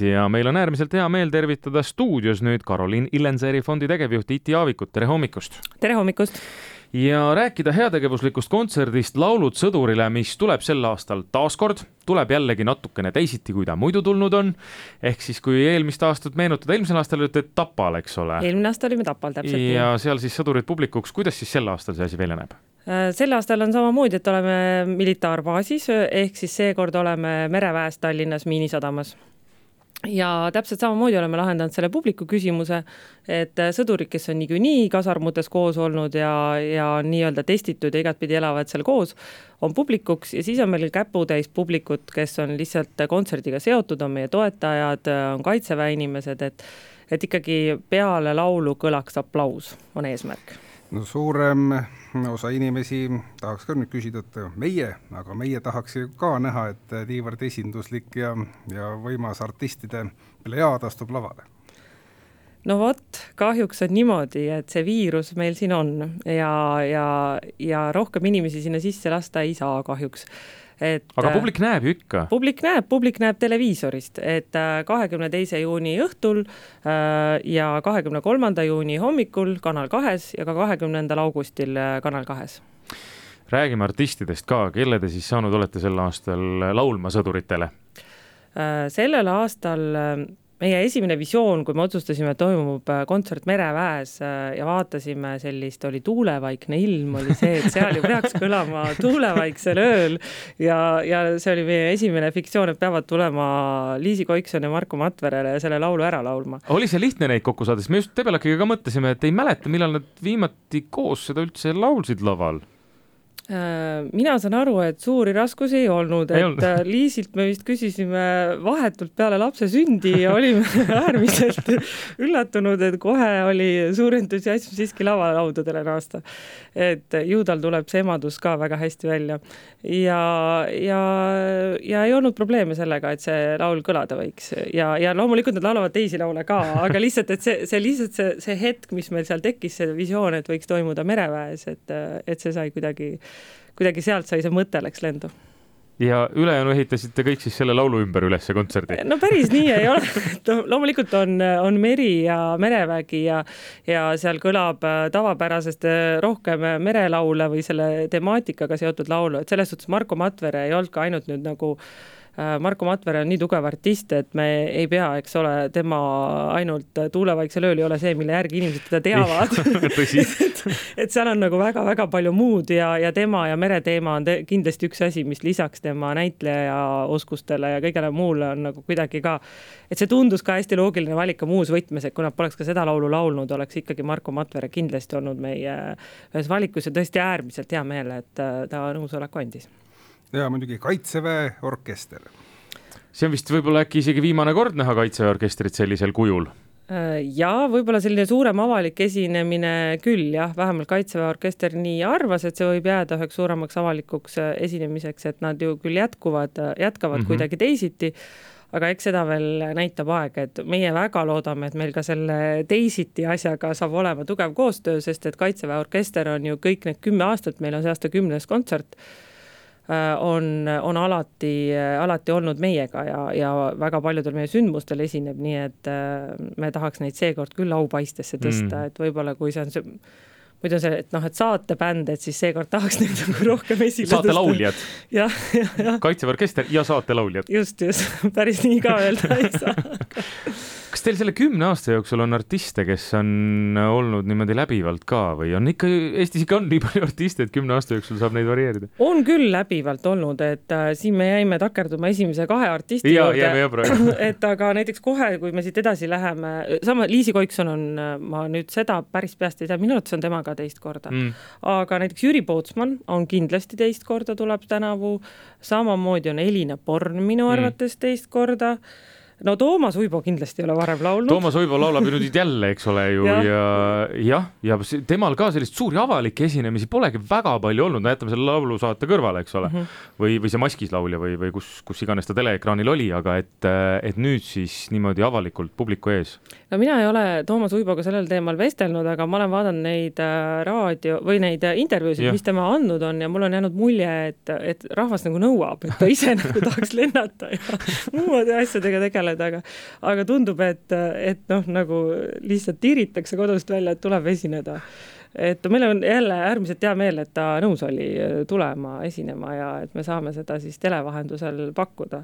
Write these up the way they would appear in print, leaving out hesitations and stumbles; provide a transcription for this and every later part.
Ja meil on äärmiselt hea meel tervitada stuudios nüüd Karoliin Illenseeri fondi tegevjuht Iti Aavikut. Tere hommikust! Tere hommikust! Ja rääkida heategevuslikust kontserdist Laulud sõdurile, mis tuleb sel aastal taaskord, tuleb jällegi natukene teisiti, kui ta muidu tulnud on. Ehk siis, kui eelmist aastat meenutada, eelmisel aastal olite Tapal, eks ole? Eelmine aasta olime Tapal, täpselt. Ja seal siis sõdurid publikuks. Kuidas siis sel aastal see asi välja näeb? Sel aastal on samamoodi, et oleme militaarbaasis, ehk siis seekord oleme mereväes Tallinnas Miinisadamas. Ja täpselt samamoodi oleme lahendanud selle publiku küsimuse, et sõdurid, kes on nii kasarmutes koos olnud ja nii-öelda testitud ja igatpidi elavad seal koos, on publikuks ja siis on meil käputäis publikut, kes on lihtsalt kontserdiga seotud, on meie toetajad, on kaitseväe inimesed, et ikkagi peale laulu kõlaks aplaus, on eesmärk. No suurem osa inimesi tahaks ka nüüd küsida, et aga meie tahaks ka näha, et niivõrd esinduslik ja võimas artistide plejaad astub lavale. No vot, kahjuks on niimoodi, et see viirus meil siin on ja rohkem inimesi sinna sisse lasta ei saa kahjuks. Aga publik näeb ju ikka. Publik näeb televiisorist, et 22. juuni õhtul ja 23. juuni hommikul Kanal 2 ja ka 20. augustil Kanal 2. Räägime artistidest ka, kelle te siis saanud olete sel aastal laulma sõduritele? Sellel aastal meie esimene visioon, kui me otsustasime, et toimub kontsert mereväes ja vaatasime sellist, oli tuulevaikne ilm, oli see, et seal ju peaks kõlama tuulevaiksel ööl ja see oli meie esimene fiktsioon, et peavad tulema Liisi Koikson ja Marko Matverele selle laulu ära laulma. Oli see lihtne neid kokku saades? Me just Tebelakiga ka mõtlesime, et ei mäleta, millal nad viimati koos seda üldse laulsid laval. Mina saan aru, et suuri raskusi ei olnud, Liisilt me vist küsisime vahetult peale lapse sündi ja olime äärmiselt üllatunud, et kohe oli suur entusiasm siiski lavalaudadele naasta. Et juudal tuleb see emadus ka väga hästi välja ja ei olnud probleeme sellega, et see laul kõlada võiks ja loomulikult nad laulavad teisi laule ka, aga lihtsalt, et see hetk, mis meil seal tekkis, see visioon, et võiks toimuda mereväes, et see sai kuidagi sealt sai see mõte läks lendu. Ja ülejäänu ehitasite kõik siis selle laulu ümber üles kontserdi? No päris nii ei ole. Loomulikult on meri ja merevägi ja seal kõlab tavapärasest rohkem merelaule või selle temaatikaga seotud laulu. Et selles suhtes Marko Matvere ei olnud ka ainult nüüd nagu Marko Matvere on nii tugev artist, et me ei pea, eks ole, tema ainult tuulevaiksel ööl ei ole see, mille järgi inimesed teda teavad. et seal on nagu väga-väga palju muud ja tema ja mereteema on kindlasti üks asi, mis lisaks tema näitleja oskustele ja kõigele muule on nagu kuidagi ka, et see tundus ka hästi loogiline valika muus võtmes, et kui nad poleks ka seda laulu laulnud, oleks ikkagi Marko Matvere kindlasti olnud meie ühes valikus ja tõesti äärmiselt hea meel, et ta nõusoleku andis. Ja muidugi Kaitseväe orkester. See on vist võib-olla äkki isegi viimane kord näha Kaitseväe orkestrit sellisel kujul? Ja võib-olla selline suurem avalik esinemine küll, jah, vähemalt Kaitseväe orkester nii arvas, et see võib jääda üheks suuremaks avalikuks esinemiseks, et nad ju küll jätkavad kuidagi teisiti, aga eks seda veel näitab aeg, et meie väga loodame, et meil ka selle teisiti asjaga saab olema tugev koostöö, sest et Kaitseväe orkester on ju kõik need 10 aastat, meil on see aasta 10. kontsert, on alati olnud meiega ja väga paljudel meie sündmustel esineb, nii et me tahaks neid seekord küll aupaistesse tõsta, et võib-olla kui see on see muidu on see, et saatebänd, et siis seekord tahaks neid rohkem esile tõsta. Saatelauljad. Ja. Kaitseväe orkester ja saatelauljad. Just, päris nii ka öelda ei saa. Kas teil selle 10 aasta jooksul on artiste, kes on olnud niimoodi läbivalt ka või on ikka, Eestis ikka on nii palju artiste, et 10 aasta jooksul saab neid varieerida? On küll läbivalt olnud, et siin me jäime takerduma esimese 2 artisti juurde, et aga näiteks kohe, kui me siit edasi läheme, sama Liisi Koikson on, ma nüüd seda päris peast ei tea, minu arvates on temaga teist korda, aga näiteks Jüri Pootsman on kindlasti teist korda tuleb tänavu, samamoodi on Elina Born minu arvates teist korda. No Toomas Uibo kindlasti ei ole varem laulnud. Toomas Uibo laulab ju nüüd jälle, eks ole ju, ja temal ka sellist suuri avalikke esinemisi polegi väga palju olnud, no jätame selle laulu saate kõrvale, eks ole, või see Maskis laulja või kus iganes ta teleekraanil oli, aga et nüüd siis niimoodi avalikult publiku ees. No mina ei ole Toomas Uiboga sellel teemal vestelnud, aga ma olen vaadanud neid raadio või neid intervjuusid, mis tema andnud on ja mul on jäänud mulje, et rahvas nagu nõuab, et ta ise nagu tahaks lennata ja muude asjadega tegeleda. tegeleda, aga tundub, et noh, nagu lihtsalt tiiritakse kodust välja, et tuleb esineda. Et meil on jälle äärmiselt hea meel, et ta nõus oli tulema esinema ja et me saame seda siis televahendusel pakkuda.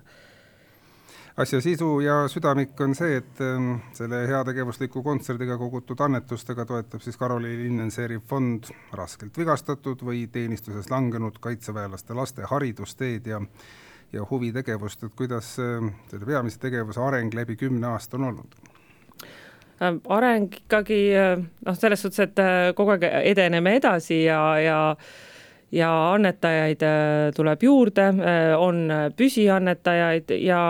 Asja sisu ja südamik on see, et selle heategevusliku kontserdiga kogutud annetustega toetab siis Karoli Lindenseeri fond raskelt vigastatud või teenistuses langenud kaitseväelaste laste haridusteed ja huvitegevust, et kuidas selle peamise tegevuse areng läbi 10 aasta on olnud? Areng ikkagi selles suhtes, et kogu aeg edeneme edasi ja annetajaid tuleb juurde, on püsiannetajaid ja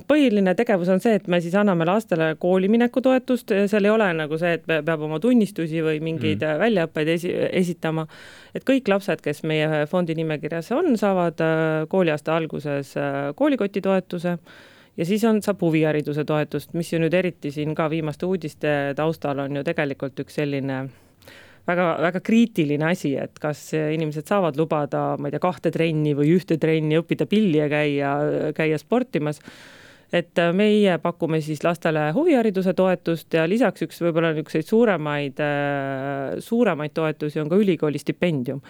põhiline tegevus on see, et me siis anname lastele koolimineku toetust, seal ei ole nagu see, et peab oma tunnistusi või mingeid väljaõppeid esitama, et kõik lapsed, kes meie fondi nimekirjas on, saavad kooliaasta alguses koolikoti toetuse ja siis saab huvihariduse toetust, mis ju nüüd eriti siin ka viimaste uudiste taustal on ju tegelikult üks selline väga, väga kriitiline asi, et kas inimesed saavad lubada, ma ei tea, 2 trenni või 1 trenni, õppida pilli ja käia sportimas. Et meie pakume siis lastele huvihariduse toetust ja lisaks üks võib-olla niisuguseid suuremaid toetusi on ka ülikooli stipendium.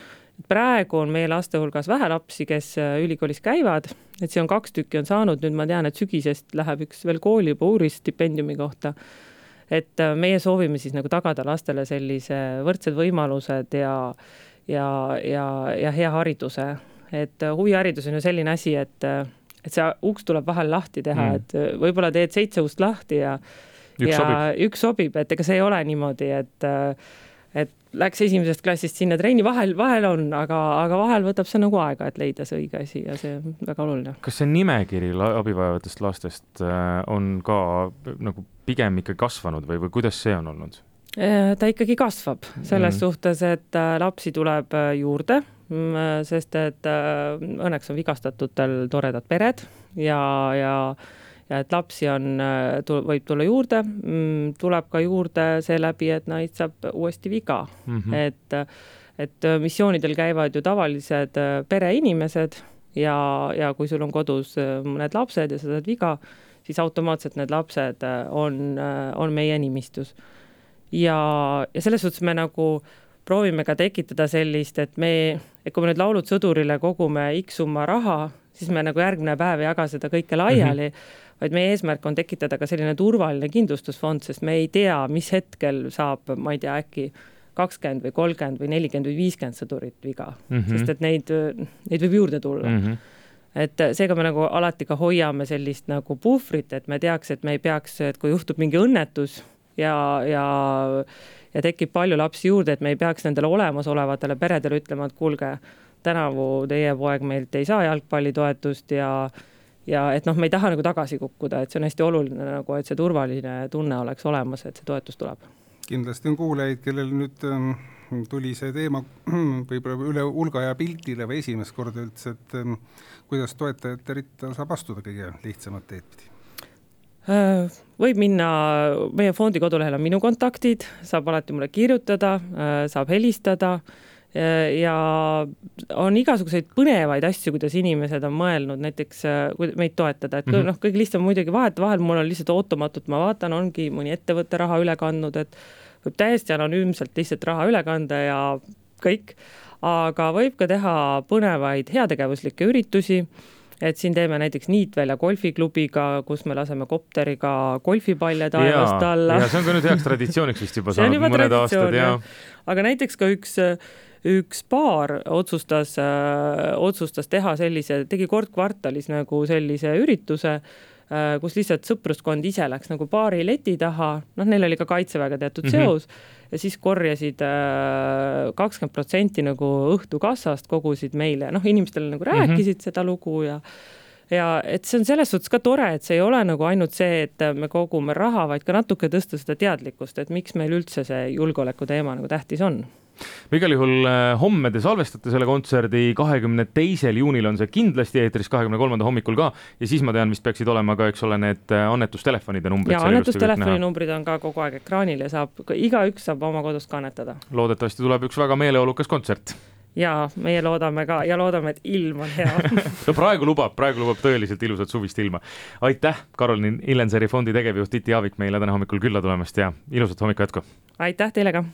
Praegu on meie laste hulgas vähe lapsi, kes ülikoolis käivad, et see on 2 tükki on saanud, nüüd ma tean, et sügisest läheb üks veel kooli juba uuris stipendiumi kohta, et meie soovime siis nagu tagada lastele sellise võrdsed võimalused ja hea hariduse, et huviharidus on ju selline asi, et see uks tuleb vahel lahti teha, et võib-olla teed 7 ust lahti ja üks sobib, et ega see ei ole niimoodi, et läks esimesest klassist sinna trenni, vahel on, aga vahel võtab see nagu aega, et leida see õige asi ja see on väga oluline. Kas see nimekiri abivajavatest lastest on ka nagu pigem ikka kasvanud või kuidas see on olnud? Ta ikkagi kasvab selles suhtes, et lapsi tuleb juurde, sest et õnneks on vigastatutel toredad pered ja et lapsi võib tulla juurde, tuleb ka juurde seeläbi, et neid saab uuesti viga. Et missioonidel käivad ju tavalised pereinimesed ja kui sul on kodus mõned lapsed ja sa saad viga, siis automaatselt need lapsed on meie nimistus. Ja selles suhtes me nagu proovime ka tekitada sellist, et kui me nüüd laulud sõdurile kogume X summa raha, siis me nagu järgmine päev ei jaga seda kõike laiali, vaid meie eesmärk on tekitada ka selline turvaline kindlustusfond, sest me ei tea, mis hetkel saab, ma ei tea, äkki 20 või 30 või 40 või 50 sõdurit viga, sest et neid võib juurde tulla. Et seega me nagu alati ka hoiame sellist nagu puhvrit, et me teaks, et me ei peaks, et kui juhtub mingi õnnetus ja tekib palju lapsi juurde, et me ei peaks nendele olemasolevatele peredele ütlema, et kuulge, tänavu teie poeg meilt ei saa jalgpallitoetust ja et me ei taha nagu tagasi kukkuda, et see on hästi oluline nagu, et see turvaline tunne oleks olemas, et see toetus tuleb. Kindlasti on kuulajaid, kellel nüüd tuli see teema võib-olla üle hulga ja pildile või esimest korda üldse, et kuidas toetajate ritta saab astuda kõige lihtsamad teed pidi? Võib minna, meie fondi kodulehel on minu kontaktid, saab alati mulle kirjutada, saab helistada ja on igasuguseid põnevaid asju, kuidas inimesed on mõelnud näiteks meid toetada, et kõige lihtsam muidugi vahel mul on lihtsalt ootamatult, ma vaatan, ongi mõni ettevõtte raha üle kandnud, et võib täiesti anonüümselt lihtsalt raha üle kanda ja kõik, aga võib ka teha põnevaid heategevuslikke üritusi, et siin teeme näiteks Niitvälja golfiklubiga, kus me laseme kopteriga golfipalle taevast alla. Ja see on ka nüüd heaks traditsiooniks vist juba saanud mõned aastad. Aga näiteks ka üks paar otsustas teha tegi kord kvartalis nagu sellise ürituse, kus lihtsalt sõpruskond ise läks nagu baari leti taha, neil oli ka kaitseväega teatud seos ja siis korjasid 20% nagu õhtukassast kogusid meile, inimestele nagu rääkisid seda lugu ja et see on selles suhtes ka tore, et see ei ole nagu ainult see, et me kogume raha, vaid ka natuke tõsta seda teadlikkust, et miks meil üldse see julgeoleku teema nagu tähtis on. Me igal juhul homme te salvestate selle kontserdi, 22. juunil on see kindlasti eetris, 23. hommikul ka ja siis ma tean, vist peaksid olema ka, eks ole, need annetustelefonide numbrid. Ja annetustelefoni numbrid on ka kogu aeg ekraanil ja igaüks saab oma kodust kannetada. Loodetavasti tuleb üks väga meeleolukas kontsert. ja meie loodame ka ja loodame, et ilm on hea. No praegu lubab tõeliselt ilusat suvist ilma. Aitäh, Karoliin Illenseeri fondi tegevjuht Tiiti Aavik meile täna hommikul külla tulemast ja ilusat hommikut jätku. Aitäh teile ka.